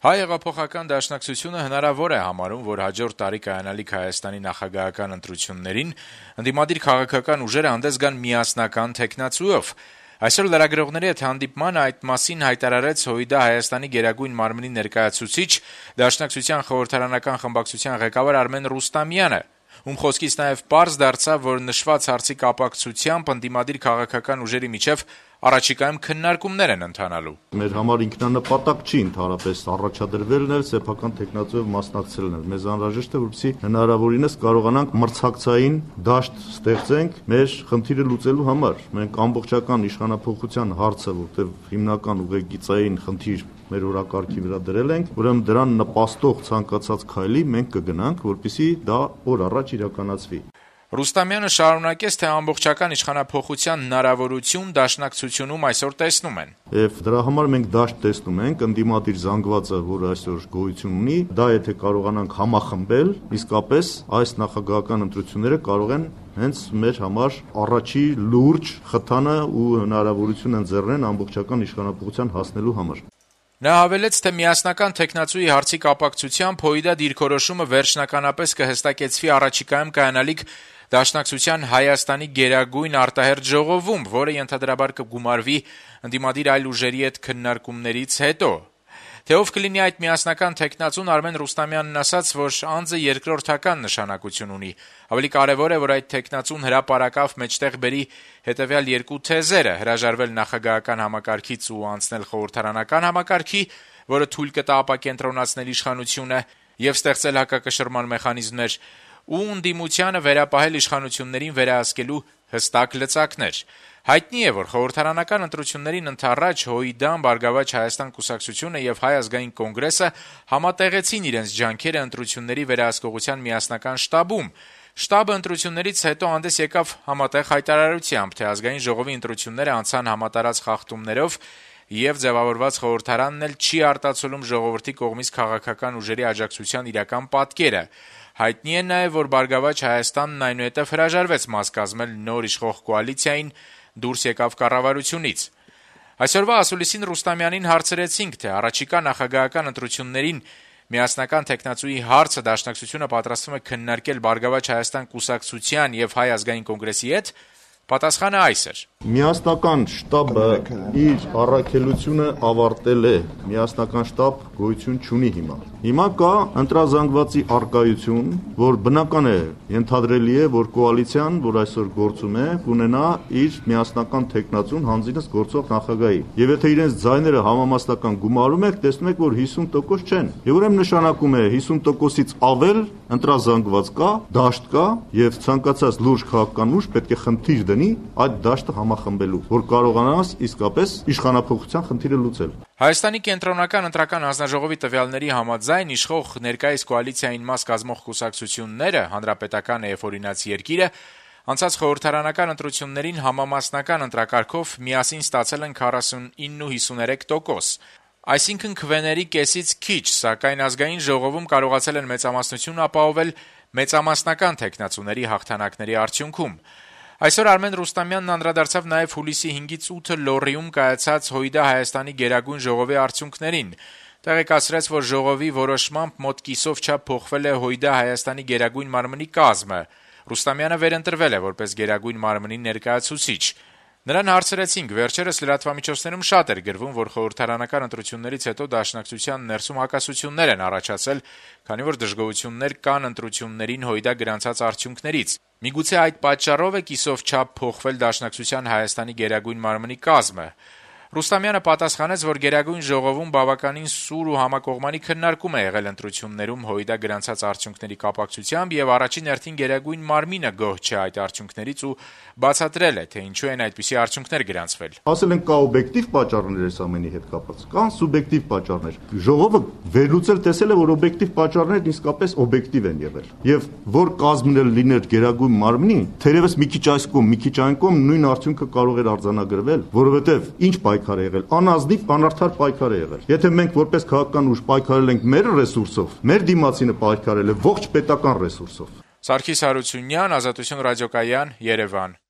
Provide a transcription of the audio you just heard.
Հայ հեղափոխական դաշնակցությունը հնարավոր է համարում, որ հաջորդ տարի կայանալիք Հայաստանի նախագահական ընտրություններին ընդդիմադիր քաղաքական ուժերը հանդես գան միասնական թեկնածուով։ Այսօր լրագրողների հետ հանդիպման այդ մասին հայտարարեց ՀՅԴ Հայաստանի Գերագույն մարմնի ներկայացուցիչ, Դաշնակցության խորհրդարանական խմբակցության ղեկավար Արմեն Ռուստամյանը, ում խոսքից նաև պարզ դարձավ, որ նշված հարցի կապակցությամբ ընդդիմադիր քաղաքական ուժերի միջև առաջիկայում քննարկումներ են ընթանալու։ Մեր համար ինքնանպատակ չի ընդհանրապես առաջադրվելն էլ սեփական տեխնացուով մասնակցելն էլ։ Մեզ անհրաժեշտ է, որպեսզի հնարավորինս կարողանանք մրցակցային դաշտ ստեղծենք մեր խնդիրը լուծելու համար։ Մենք ամբողջական իշխանափոխության հարցը, որտեղ հիմնական ուղեգիծային խնդիր մեր օրակարգի վրա դրել ենք, ուրեմն դրան նպաստող ցանկացած քայլի մենք կգնանք, որպեսզի դա օր առաջ իրականացվի։ Ռուստամյանը շարունակեց, թե ամբողջական իշխանափոխության հնարավորություն Դաշնակցությունում այսօր տեսնում են։ Եվ դրա համար մենք դաշտ տեսնում ենք ընդդիմադիր զանգվածը, որը այսօր գոյություն ունի, դա եթե կարողանանք համախմբել, իսկապես այս նախագահական ընտրությունները կարող են հենց մեր համար առաջի լուրջ խթանը ու հնարավորություն ընձեռնեն ամբողջական իշխանափոխության հասնելու համար։ Նա հավելեց, թե միասնական թեկնածուի հարցի կապակցությամբ ՀՅԴ դիրքորոշումը վերջնականապես կհստակեցվի առաջիկայում կայանալիք Դաշնակցության Հայաստանի Գերագույն արտահերթ ժողովում, որը ենթադրաբար կգումարվի ընդդիմադիր այլ ուժերի հետ քննարկումներից հետո։ Թե ով կլինի այդ միասնական թեկնածուն, Արմեն Ռուստամյանն ասաց, որ անձը երկրորդական նշանակություն ունի։ Ավելի կարևոր է, որ այդ թեկնածուն հրապարակավ մեջտեղ բերի հետևյալ երկու թեզերը՝ հրաժարվել նախագահական համակարգից ու անցնել խորհրդարանական համակարգի, որը թույլ կտա ապակենտրոնացնել իշխանությունը եւ ստեղծել հակակշռման մեխանիզմներ, ու ընդդիմությանը վերապահել իշխանություններին վերահսկելու հստակ լծակներ։ Հայտնի է, որ խորհրդարանական ընտրություններին ընդառաջ ՀՅԴ-ն, Բարգավաճ Հայաստան կուսակցությունը եւ Հայ ազգային կոնգրեսը համատեղեցին իրենց ջանքերը ընտրությունների վերահսկողության միասնական շտաբում։ Շտաբը ընտրություններից հետո հանդես եկավ համատեղ հայտարարությամբ, թե ազգային ժողովի ընտրությունները անցան համատարած խախտումներով եւ ձեւավորված խորհրդարանն էլ չի արտացոլում ժողովրդի կողմից քաղաքական ուժերի աջակցության իրական պատկերը։ Հայտնի է նաեւ, որ Բարգավաճ Հայաստանն այնուհետեւ հրաժարվեց մաս կազմել նոր իշխող կոալիցիային, դուրս եկավ կառավարությունից։ Այսօրվա ասուլիսին Ռուստամյանին հարցրեցինք, թե առաջիկա նախագահական ընտրություններին միասնական թեկնածուի հարցը Դաշնակցությունը պատրաստվում է քննարկել Բարգավաճ Հայաստան կուսակցության եւ Հայ ազգային կոնգրեսի հետ։ Պատասխանը այս էր. Միասնական շտաբը իր առաքելությունը ավարտել է։ Միասնական շտաբ գոյություն չունի հիմա։ Հիմա կա ընտրազանգվածի առկայություն, որ բնական է, ենթադրելի է, որ կոալիցիան, որ այսօր գործում է, կունենա իր միասնական թեկնածուն հանձինս գործող նախագահի։ Եվ եթե իրենց ձայները համամասնական գումարում եք, տեսնում եք, որ 50% չեն։ Եվ ուրեմն նշանակում է 50%-ից ավել ընտրազանգված կա, դաշտ կա, եւ ցանկացած լուրջ քաղաքական ուժ պետք է խնդիր դնի այդ դաշտը համախմբելու, որ կարողանաս իսկապես իշխանափոխության խնդիրը լուծել։ Հայաստանի կենտրոնական ընտրական հանձնաժողովի տվյալների համաձայն իշխող ներկայիս կոալիցիային մաս կազմող կուսակցությունները, Հանրապետականը եւ Օրինաց երկիրը, անցած խորհրդարանական ընտրություններին համամասնական ընտրակարգով միասին ստացել են 49 ու 53%։ Այսինքն քվեների կեսից քիչ, սակայն ազգային ժողովում կարողացել են մեծամասնություն ապահովել մեծամասնական թեկնածուների հաղթանակների արդյունքում։ Այսօր Արմեն Ռուստամյանն անդրադարձավ նաև հուլիսի 5-ից 8-ը Լոռիում կայացած ՀՅԴ Հայաստանի Գերագույն ժողովի արդյունքներին։ Տեղեկացրեց, որ ժողովի որոշմամբ մոտ կիսով չափ փոխվել է ՀՅԴ Հայաստանի Գերագույն մարմնի կազմը։ Ռուստամյանը վերընտրվել է որպես Գերագույն մարմնի ներկայացուցիչ։ Նրան հարցրեցինք, վերջերս լրատվամիջոցներում շատ էր գրվում, որ խորհրդարանական ընտրություններից հետո Դաշնակցության ներսում հակասություններ են առաջացել, քանի որ դժգոհություններ կան ընտրություններին ՀՅԴ գրանցած արդյունքներից։ Միգուցե այդ պատճառով է կիսով չափ փոխվել Դաշնակցության Հայաստանի Գերագույն մարմնի կազմը։ Ռուստամյանը պատասխանեց, որ Գերագույն ժողովում բավականին սուր ու համակողմանի քննարկում է եղել ընտրություններում ՀՅԴ գրանցած արդյունքների կապակցությամբ եւ առաջին հերթին Գերագույն մարմինը գոհ չէ այդ արդյունքներից ու բացատրել է, թե ինչու են այդպիսի արդյունքներ գրանցվել։ Ասել են կա օբյեկտիվ պատճառներ այս ամենի հետ կապված, կան սուբյեկտիվ պատճառներ։ Ժողովը վերլուծել տեսել է, որ օբյեկտիվ պատճառներն իսկապես օբյեկտիվ են եղել։ Եվ որ կազմն էլ լիներ Գերագույն մարմնի, թերևս մի քիչ այս կողմ, մի քիչ այն կողմ նույն արդյունքը կարող էր արձանագրվել, որովհետեւ ինչ պայքար է եղել, անազնիվ անարդար պայքար է եղել։ Եթե մենք որպես քաղաքական ուժ պայքարել ենք մեր ռեսուրսով, մեր դիմացինը պայքարել է ողջ պետական ռեսուրսով։ Սարգիս Հարությունյան, Ազատություն ռադիոկայան, Երևան։